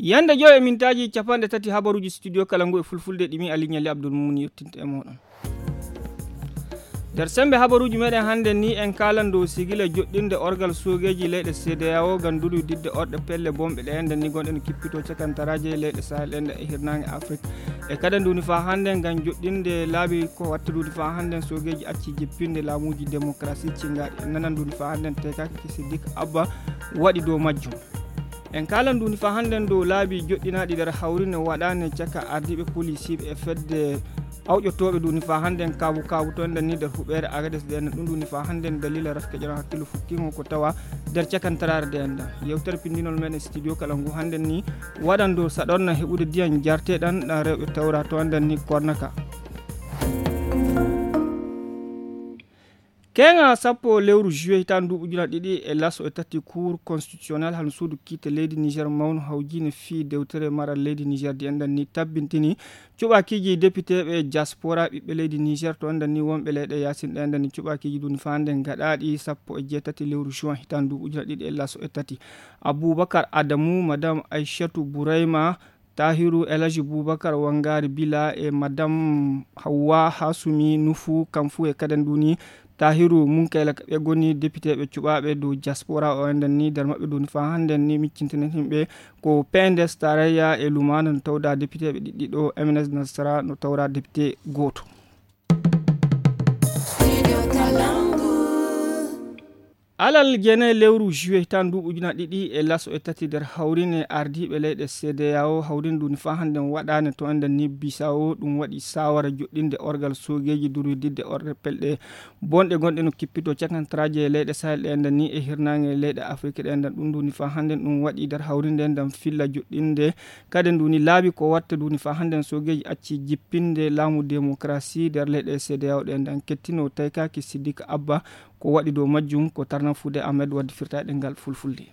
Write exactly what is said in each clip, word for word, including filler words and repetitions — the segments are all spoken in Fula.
Yande joy e mintaaji capanɗe tati habaruuji studio kala ngu e fulfulde ɗi mi Aliou Nialy Abdoul Moumouni yettinta e mooɗon. Nder semmbe habaruuji meɗen hannden ni en kaalan dow sigila joɗɗinde orgal soogeeji leyɗe C D A O ngam durwididde orɗe pelle bonɓe ɗe enɗen ni gonɗe no kippito cakantaraaje leyɗe Sahel ɗen e hirnaange Afrik. E kadi nduuni faa hannden ngam joɗɗinde laabi ko watta nduuni faa hannden soogeeji acci jippinde laamuuji démocratie cingaaɗi. En nanan nduuni faa hannden teekaaki ki Siddik Abba waɗi dow majjum. En kaalan nduuni faa hannden dow laabi joɗɗinaaɗi nder hawrine waɗaane caka ardiiɓe polisiiɓe e fedde awƴotooɓe nduuni faa hannden kaabu kaabu to enɗen ni nder huɓeere Agades ɗe enɗen ɗum nduuni faa hannden dalila rafke ƴoran hakkillo fukkiingo ko tawa nder cakantaraare ɗe enɗen. Yewtere pinndinol men e studio kala ngu hannden ni waɗan dow saɗorna heɓude diyan jarteɗan ɗan rewɓe tawra to enɗen ni kornaka. Keŋa sappo lewru juillet hitaande nduuɓu ujuna ɗiɗi e laso e tati, cour constitutionnel hano suudu kiite leydi Niger mawnu hawjiine fii dewtere maral leydi Niger di enɗan ni tabbintini cuɓaakiiji depiteeɓe diaspora ɓiɓɓe leydi Niger to enɗan ni wonɓe leyɗe yaasin ɗe enɗan ni cuɓaakiiji duni faande gaɗaaɗi sappo e jeetati lewru juin hitaande nduuɓu ujuna ɗiɗi e laso e tati. Abubakar Adamu, Madame Aishatu Burayma, Tahiru Elhaji Bubakar Wangari Bila e Madame Hawwa Hasumi Nufu, kam fuu e kaden ɗuni Tahiru Munkayla ka ɓe goni depiteeɓe cuɓaaɓe dow diaspora o enɗan ni nder maɓɓe ɗuni faa hannden ni miccintinen himɓe ko P N D S tarayya e Lumana no tawda depiteeɓe ɗiɗɗiɗo, M N S Nasara no tawra depite gooto. Alal jene lewru juillet hitaande nduuɓu ujuna ɗiɗi e laso e tati nder hawrine ardiiɓe leyɗe C D A O hawrine ɗum faa hannden waɗaane to enɗan ni Bissau ɗum waɗi saawara joɗɗinde orgal soogeeji durwididde orɗe pelɗe bonɗe gonɗe no kippito cakantaraaje e leyɗe Sahel ɗe enɗan ni e hirnaange leyɗe Afrik ɗe enɗan ɗum nduuni faa hannden ɗum waɗi nder hawrinde ndam filla joɗɗinde kadi nduuni laabi ko watta nduuni faa hannden soogeeji acci jippinde laamu démocratie nder leyɗe C D A O ɗe enɗan kettino taykaaki Siddik Abba ko waɗi dow majjum ko tarnan fuude Ahmed waddi firtayɗe ngal fulfulde.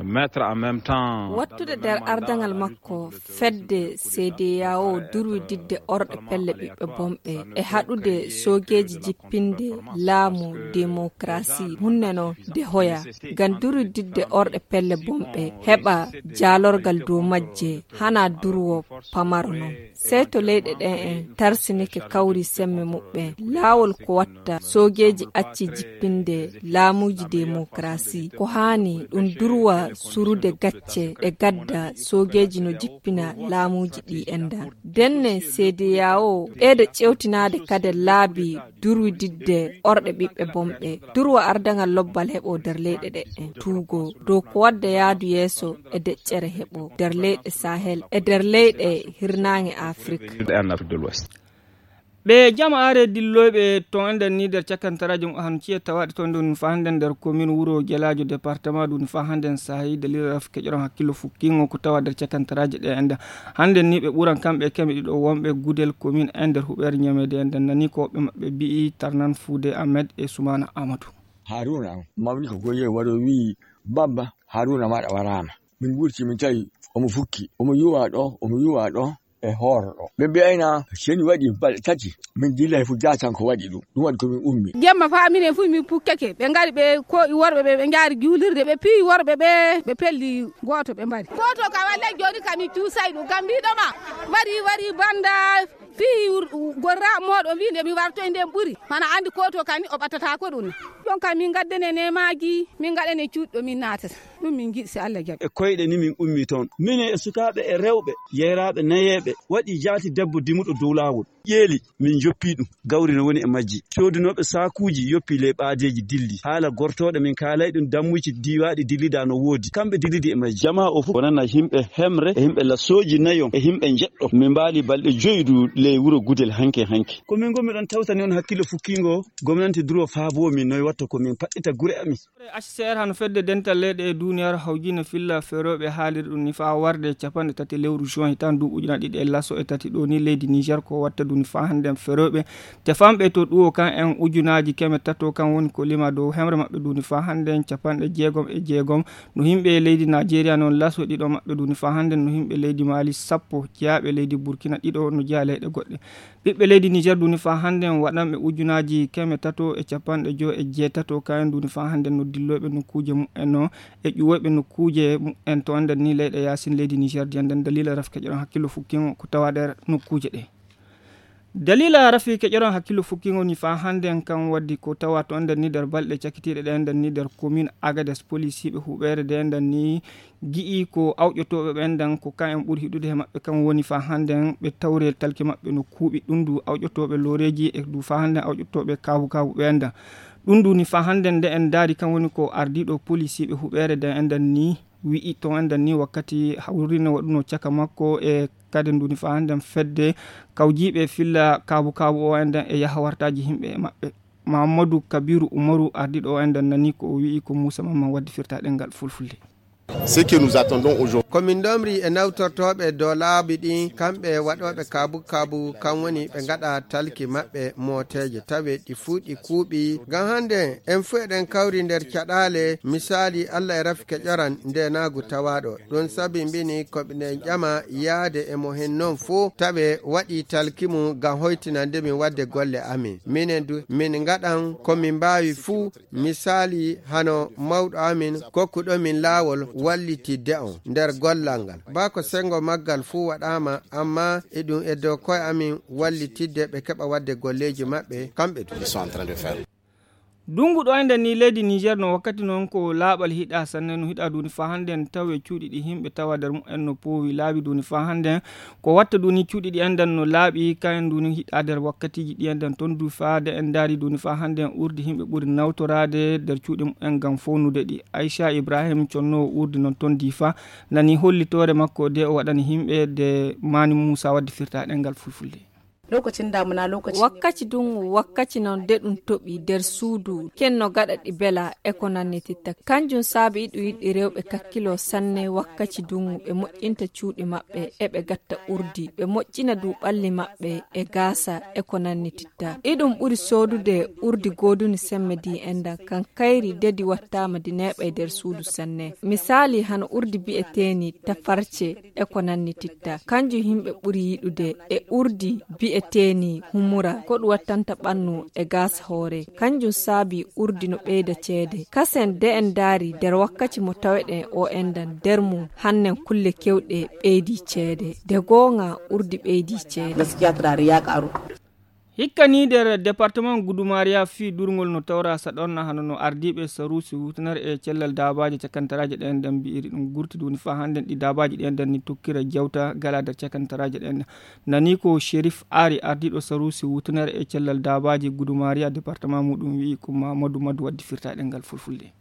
Mettre en même temps wattude nder ardaŋal makko fedde C D A O durwididde orɗe pelle ɓiɓɓe bonɓe e haɗude soogeeji jippinde laamu démocratie hunne no de hoya ngam durwididde orɗe pelle bonɓe heɓa jaalorgal dow majje hana durwo pamaro non. Sey to leyɗe ɗen en tarsinike kawri semme muɓɓen laawol ko watta soogeeji acci jippinde laamuuji demokarasi ko haani ɗum durwa surude gacce ɗe gadda soogeeji no jippina laamuuji ɗi enɗan. Denne C D A O ɓeyda ƴewtinaade kadi laabi durwididde orɗe ɓiɓɓe bonɓe durwa ardaŋal lobbal heɓo nder leyɗe ɗe en tuugo dow ko wadda yaadu yeeso e deƴƴere heɓo nder leyɗe Sahel e nder leyɗe hirnaange Afrik. Ɓe jamaare dilloyɓe ton enɗan ni nder cakantaraaji mum han ciye tawaaɗe ton ɗum faa hannden nder commune wuro Gelaajo département ɗum faa hannden saahi dalila raf keƴoran hakkillo fukkiingo ko tawa nder cakantaraaji ɗe enɗan hannden ni ɓe ɓuran kamɓe keme ɗiɗo wonɓe Gudel commune en nder huɓeere Ñameede enɗan nani ko woɓɓe maɓɓe mbi'i tarnan Fuude Ahmed e Sumaana Amadou. Haruna mawni ko goye waɗo wi'i Baba Haruna maɗa waraama. Min wurti min tawi omo fukki omo yuwa ɗo omo yuwa ɗo e hooro ɗo ɓe mbi'ayna seni waɗi balɗe tati min dillay fu jatan ko waɗi ɗum ɗum waɗi ko min ummi. Jemma fa minen fu min pukkeke ɓe ngari ɓe ko worɓe ɓe ɓe njaari juulirde ɓe piyi worɓe ɓe ɓe pelli gooto ɓe mbari gooto ka wallay jooni ka min cuusay ɗum kam mbiɗoma wari wari banda fii gorra mooɗon wii nde mi wartoy nden ɓuri mana anndi ko to kani o ɓattata ko ɗum ɗon kam min ngaddane nemaaji min ngaɗane cuuɗi ɗo min naatata ɗum min njiɗi si Allah jaɓi. E koyɗe ni min ummi toon minen e sukaaɓe e rewɓe yeyraaɓe nayeeɓe waɗi jaati debbo dimuɗo dow laawol ƴeeli min njoppi ɗum gawri no woni e majji coodunooɓe saakuuji yoppi ley ɓaadeeji dilli haala gortooɗo min kaalay ɗum dammuji diiwaaɗi dillida no woodi kamɓe dillidi e majji jamaa o fof wonana yimɓe hemre e yimɓe lasooji nayon e yimɓe njeɗɗo min mbaali balɗe joyi du ley wuro gudel hanke hanke. Ko min ngonmi ɗon tawtani on hakkillo fukkiingo gomnanti duro faaboo min noy watta ko min paɗɗita gure amin. H C R hano fedde dental leyɗe e duniyaaru hawjine filla ferooɓe haaliri ɗum ni faa warde capanɗe tati lewru juin hitaan duuɓi ujunaaji ɗiɗi e laso e tati ɗo ni leydi Niger ko watta duni faa hannden ferooɓe tefanɓe to ɗuwo kan en ujunaaji keme tato kan woni ko lima dow hemre maɓɓe duni faa hannden capanɗe jeegom e jeegom no yimɓe leydi Nigeria noon laso ɗiɗo maɓɓe duni faa hannden no yimɓe leydi Mali sappo jeyaaɓe leydi Burkina ɗiɗo no jeyaa leyɗe goɗɗe. Ɓiɓɓe leydi Niger duni faa hannden waɗanɓe ujunaaji keme tato e capanɗe joy e jeetato kayen duni faa hannden no dilloyɓe nokkuuje mumen no e ƴuwoyɓe nokkuuje en to enden ni leyɗe yaasin leydi Niger, de enden daliila rafi keƴoɗon hakkillo fukkingo ko tawa nder nokkuuje ɗe. Daliila rafi keƴoɗon hakkillo fukkingo ni fa hande en kan waddi ko tawa to enden ni nder balɗe cakitiiɗe ɗe enden ni nder commune Agades, polisiiɓe huɓeere de enden ni gi'i ko awƴotooɓe ɓe enden ko kan en ɓuri hiɗude he maɓɓe kan woni fa hande en ɓe tawre talki maɓɓe no kuuɓi ɗum du awƴotooɓe looreeji e du fa hande en awƴotooɓe kaabu kaabu ɓe enden. Ɗum du ni fa hande nde en ndaari kan woni ko ardiiɗo polisiiɓe huɓeere de enden ni wi'i to enden ni wakkati hawrino waɗuno caka makko e kadi ndu ni fa hande en fedde kawjiiɓe filla kaabu kaabu o enden e yaha wartaaji himɓe e maɓɓe. Mahammadu Kabiru Umaru ardiiɗo o enden nani ko o wi'i ko Muusa Mamman waddi firta ɗengal fulfulde. Ce que nous attendons aujourd'hui. Ko min ndomri e nawtortooɓe dow laabi ɗin, kamɓe waɗooɓe kaabu kaabu, kan woni ɓe ngaɗa talki maɓɓe mooteeje, tawe ɗi fuu ɗi kuuɓi. Ngam hannde, en fuu eɗen kawri nder caɗaale, misaali Alla e rafi keƴoran ndeenaagu tawaaɗo. Ɗum sabimbini ko miɗen ƴama yaade e mo hen non fuu, tawe waɗi talki mum ngam hoytinande min waɗde golle amin. Minen du, min ngaɗan ko min mbaawi fuu, misaali hano mawɗo amin kokkuɗo min laawol wallitidde on nder gollal ngal. Baa ko senngo maggal fuu waɗaama, ammaa eɗum e dow ko'e amin wallitidde ɓe keɓa waɗde golleeji maɓɓe kamɓe du. Ils sont en train de faire. Dungu ɗo enden ni leydi Niger no wakkati non ko laaɓal hiɗa sanne no hiɗa duni fa hande en tawe cuuɗi ɗi himɓe tawa nder mumen no poowi laaɓi duni fa hande en. Ko watta duni cuuɗi ɗi enden no laaɓi kayen duni hiɗa nder wakkatiji ɗi enden ton du fa de en ndaari duni fa hande en urdi himɓe ɓuri nawtoraade nder cuuɗi mumen ngam fownude ɗi. Aisha Ibrahim conno urdi non ton di fa nani hollitoore makko de o waɗani himɓe de Mani Musa wadde firta ɗengal fulfulde. Lokacin damuna, lokacin ne. Wakkaci dungu, wakkaci non de ɗum toɓi nder suudu, kenno gaɗa ɗi bela e ko nannititta. Kanjum saabi iɗum yiɗi rewɓe kakkilo sanne wakkaci dungu, ɓe moƴƴinta cuuɗi maɓɓe, e ɓe gatta urdi, ɓe moƴƴina du ɓalli maɓɓe e gaasa e ko nannititta. Iɗum ɓuri soodude urdi gooduni semme di endan, kan kayri dedi wattaama di neeɓay nder suudu sanne. Misaali hano urdi bi'eteeni tafarce, e ko nannititta. Kanjum himɓe ɓuri yiɗude e urdi bi'eteeni humura, ko ɗum wattanta ɓannu e gaasa hoore. Kanjum saabi urdi no ɓeyda ceede. Kasen de en ndaari nder wakkaci mo taweɗen o endan nder mum, hannen kulle kewɗe ɓeydi ceede. De goonga urdi ɓeydi ceede. Gaskiya turare ya ƙaru. Hikka ni nder département Gudumariya fii durngol no tawra saɗorna hano no ardiiɓe saruusi huutinare e cellal daabaaji cakantaraaji ɗen nden mbi'iri ɗum gurti duni faa hannden ɗi daabaaji ɗen nden ni tokkira jawta gala nder cakantaraaji ɗen nden. Nani ko Sherif Ari ardiiɗo saruusi huutinare e cellal daabaaji Gudumariya département muɗum wi'i ko Mamadou Madou waddi firta ɗengal fulfulde.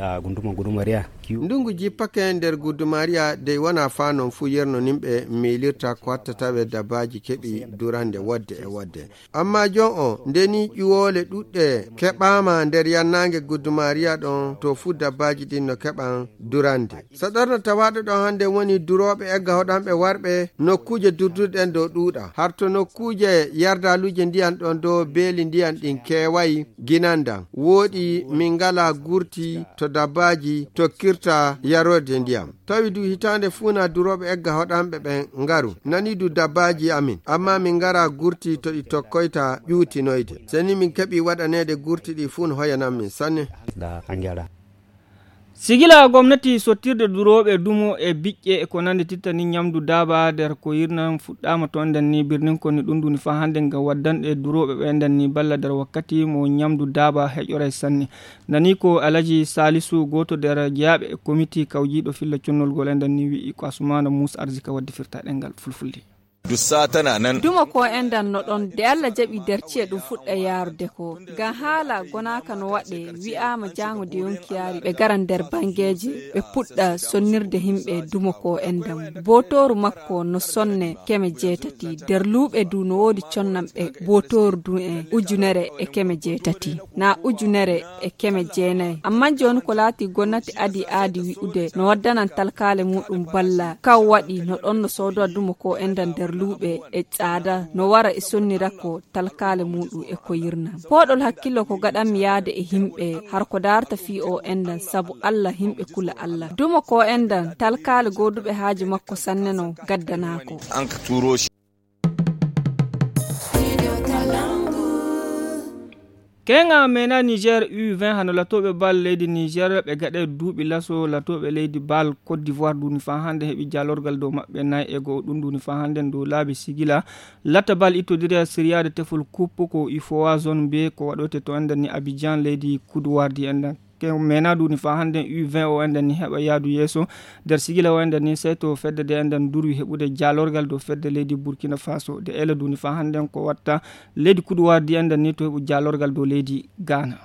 Ah, gunduma Gudumariya kiw. Ndungu jippake nder Gudumariya dey wona faa non fuu yerno nimɓe miilirta ko watta tawe dabbaaji keɓi durande wodde e wodde. Amma jon o, nde ni ƴuwoole ɗuɗɗe keɓaama nder yannaange Gudumariya ɗon, to fuu dabbaaji ɗin no keɓan durande. Saɗorno tawaaɗo ɗon hannde woni durooɓe egga hoɗanɓe warɓe nokkuuje durduɗen dow ɗuuɗa. Har to nokkuuje yardaaluuje ndiyan ɗon dow beeli ndiyan ɗin keewayi, ginandan wooɗi min ngalaa gurti to dabbaaji tokkirta yarorde ndiyam. Tawi du hitaande fuu na durooɓe egga hoɗanɓe ɓen ngaru. Nani du dabbaaji amin, amma min ngaraa gurti to ɗi tokkoyta ƴuutinoyde. Seni min keɓii waɗaneede gurti ɗi fuu no hoyanan min sanne. Da angela. Sigila gomnati sottirde durooɓe dumo e biƴƴe e ko nandi titta ni ñamdu daaba nder ko yirnan fuɗɗaama to nden ni birnin ko ni ɗum duni faa hannde ngam waddanɗe durooɓe ɓe nden ni balla nder wakkati mo ñamdu daaba heƴoray sanne. Nani ko Alaji Salisu gooto nder jeyaaɓe e komiti kawjiiɗo filla connolgol e nden ni wi'i ko Asumana Musa Arzika waddi firta ɗengal fulfulde. Dussa tana nan. Duma ko endan no ɗon de Alla jaɓi nder ci'e ɗum fuɗɗa yaarude ko. Ngam haala gonaaka no waɗe wi'aama jaango de yonki yaari ɓe gara nder bangeeje ɓe puɗɗa sonnirde himɓe duma ko endan. Bootooru makko no sonne keme jeetati. Nder luuɓe du no woodi connanɓe bootooru du en ujunere e keme jeetati. Na ujunere e keme jeenayi. Amma jooni ko laati gomnati adi aadi wi'ude no waddanan talkaale muɗum balla. Kaw waɗi no ɗon no soodowa duma ko endan nder luuɓe e tsaada no wara e sonnira ko talkaale muɗum e ko yirna. Pooɗol hakkillo ko gaɗanmi yaade e himɓe har ko daarta fii o endan sabu Alla himɓe kula Alla. Duma ko endan talkaale gooduɓe haaju makko sanne no gaddanaako. An ka tuuro shi. Keŋa mena Niger U vingt hano latooɓe bal leydi Niger ɓe gaɗe duuɓi laso latooɓe leydi bal Côte d'Ivoire duni faa hannde heɓi jaalorgal dow maɓɓe nayi e go'o ɗum duni faa hannde dow laabi sigila latta bal ittodiri e siriyaade tefol coupe ko ifowa zone B ko waɗoyte to enden ni Abidjan leydi Côte d'Ivoire di enden. Ke mena duni faa hannde U vingt o enden ni heɓa yaadu yeeso nder sigila o enden ni sey to fedde de enden durwi heɓude jaalorgal dow fedde leydi Burkina Faso de ela duni faa hannde ko watta leydi Côte d'Ivoire di enden ni to heɓu jaalorgal dow leydi Ghana.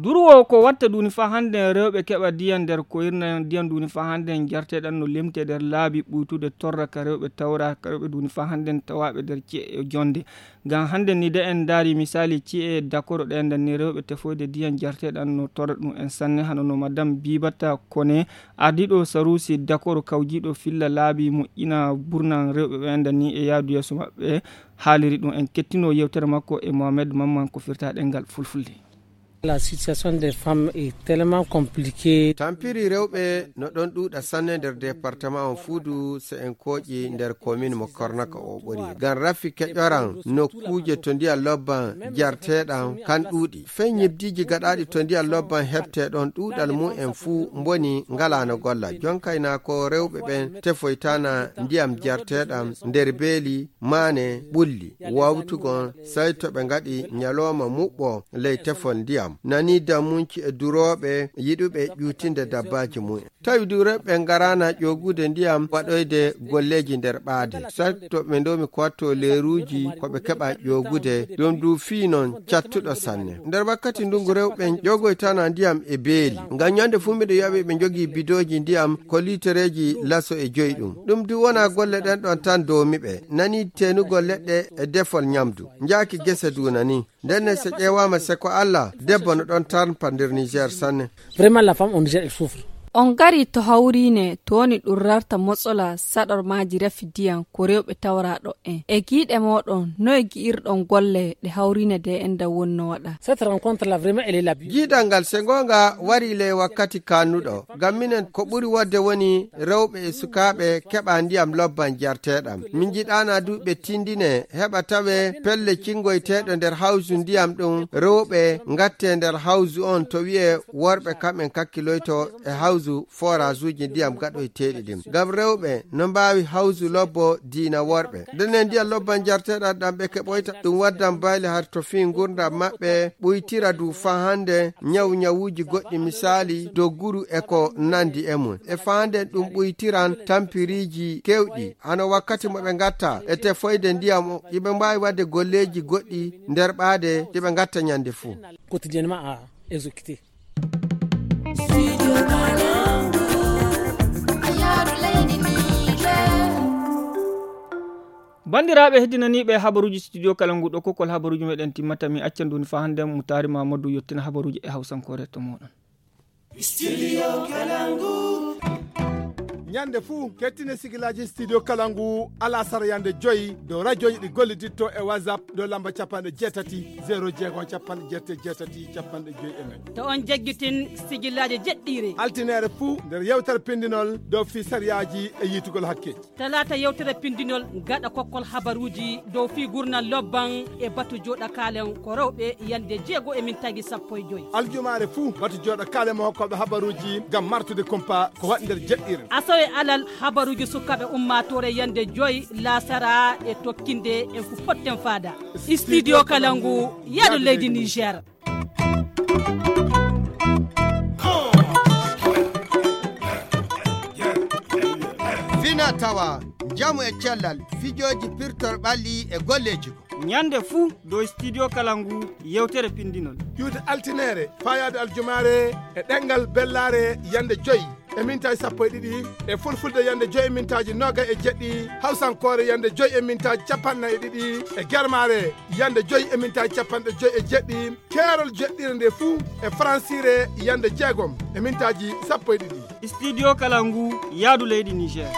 Durwo ko watta duni faa hannde rewɓe keɓa diyan nder ko irna diyan duni faa hannde jarteɗan no limte nder laabi ɓuytude torra ka rewɓe tawra ka rewɓe duni faa hannde tawaaɓe nder ci'e e jonde. Ngam hannde ni de en ndaari misaali ci'e dakoro ɗe nden ni rewɓe tefoyde diyan jarteɗan no torra ɗum en sanne hano no madam Bibata Kone ardiɗo sarusi dakoro kawjiɗo filla laabi moƴƴina burnan rewɓe ɓe nden ni e yaadu yeeso maɓɓe haaliri ɗum en kettino yewtere makko e Mohamed Mamman ko firta ɗengal fulfulde. La situation des femmes est tellement compliquée. Tampiri rewɓe no ɗon ɗuuɗa sanne nder département on Fuudu se en kooƴi nder commune mo Kornaka o ɓori. Ngam rafi keƴoran nokkuuje to ndiyam lobban jarteɗam kan ɗuuɗi. Fey ñibdiiji gaɗaaɗi to ndiyam lobban heɓte ɗon ɗuuɗal mum en fuu mboni ngalaa no golla. Jonkayna ko rewɓe ɓen tefoytana ndiyam jarteɗam nder beeli maane ɓulli wawtugon sey to ɓe ngaɗi ñalooma muɓɓo ley tefol ndiyam nani dammunci e durooɓe yiɗuɓe ƴuutinde dabbaaji mumen tawi durooɓe ɓe ngaraana ƴoogude ndiyam waɗoyde golleeji nder ɓaade sey to ɓe ndomi ko watto leeruuji ko ɓe keɓa ƴoogude ɗum du fii non cattuɗo sanne nder wakkati ndungu rewɓe ƴoogoytana ndiyam e beeli ngam ñande fuu miɗo yaɓi ɓe njogii bidooji ndiyam ko liitereeji laso e joyi ɗum ɗum du wona golle ɗen ɗon tan doomi ɓe nani teenugol leɗɗe e defol ñamdu njaaki gese duuna ni nden ne so ƴeewaama se ko allah debbo no ɗon tarmpa nder niger sanne. Vraiment la femme au niger elle souffre. On ngari to hawriine to woni ɗum rarta motsola saɗormaaji rafi diyan ko rewɓe tawraɗo en e giiɗe moɗon noye gi'irɗon golle ɗe hawriine de en da wonno waɗa. Cette rencontre là vraiment elle est la bienvenue. Jiidal ngal se ngoonga wari ley wakkati kannuɗo ngam minen ko ɓuri wodde woni rewɓe e sukaaɓe keɓa ndiyam lobban jarteɗam min jiɗana du ɓe tindine heɓa tawe pelle cingoyteɗo nder hawsu ndiyam ɗum rewɓe ngatte nder hawsu on to wi'e worɓe kamɓen kakkiloyto e hawsu forasuji ndiyam gaɗoyteɗi ɗin ngam rewɓe no mbawi hawsu lobbo diina worɓe ndenen ndiyam lobban jarteɗam ɗam ɓe keɓoyta ɗum waddan bayle har to fii ngurndam maɓɓe ɓuytira du faa hannde ñawu ñawuuji goɗɗi misaali dogguru e ko nanndi e mum e faa hannde ɗum ɓuytiran tampiriiji keewɗi hano wakkati mo ɓe ngatta e tefoyde ndiyam o iɓe mbaawi waɗde golleeji goɗɗi nder ɓaade ɗi ɓe ngatta ñannde fuu. Quotidiennement à exécuter. Banndiraaɓe heddinaniiɓe habaruuji studio kala ngu ɗo kokkol habaruuji meɗen timmata mi acca nduni faa hannde mo taari mamadou yettina habaruuji e hawsankoore to moɗon. Ñande fuu kettine sigilaaji studio kala ngu alasara yande joyi dow radioji ɗi golliditto e whatsapp dow lamba capanɗe jeetati zéro jeego capanɗe jeetati jeetati capanɗe joyi e nayi. To on jaggitin sigilaaji jeɗɗiire. Altinere fuu nder yewtere pindinol dow fii sariyaaji e yiitugol hakkeeji. Talaata yewtere pindinol gaɗa kokkol habaruuji dow fii gurnal lobban e batu jooɗa kaalen ko rewɓe yande jeego e mintaaji sappo e joyi. Aljumaare fuu batu jooɗa kaalen mo hokkooɓe habaruuji ngam martude kumpa ko waɗi nder jeɗɗiire. Asawe alal habaruuji sukaaɓe ummaatoore yande joyi laasara e tokkinde en ko potten faada. Studio kala ngu yaado leydi niger. Fina tawa njamu e cellal fijooji pirtor ɓalli e golleeji ko ñande fuu dow studio kala ngu yewtere pindinol ƴuude altinere faayaade aljumaare e ɗengal bellaare yande joyi e mintaaji sappo e ɗiɗi e fulfulde yande joyi e mintaaji noga e jeɗɗi hawsankoore yande joyi e mintaaji capanɗe nayi e ɗiɗi e germaare yande joyi e mintaaji capanɗe joyi e jeɗɗi keerol jeɗɗire nde fuu e faransire yande jeegom e mintaaji sappo e ɗiɗi. Studio kala ngu yaadu leydi niger.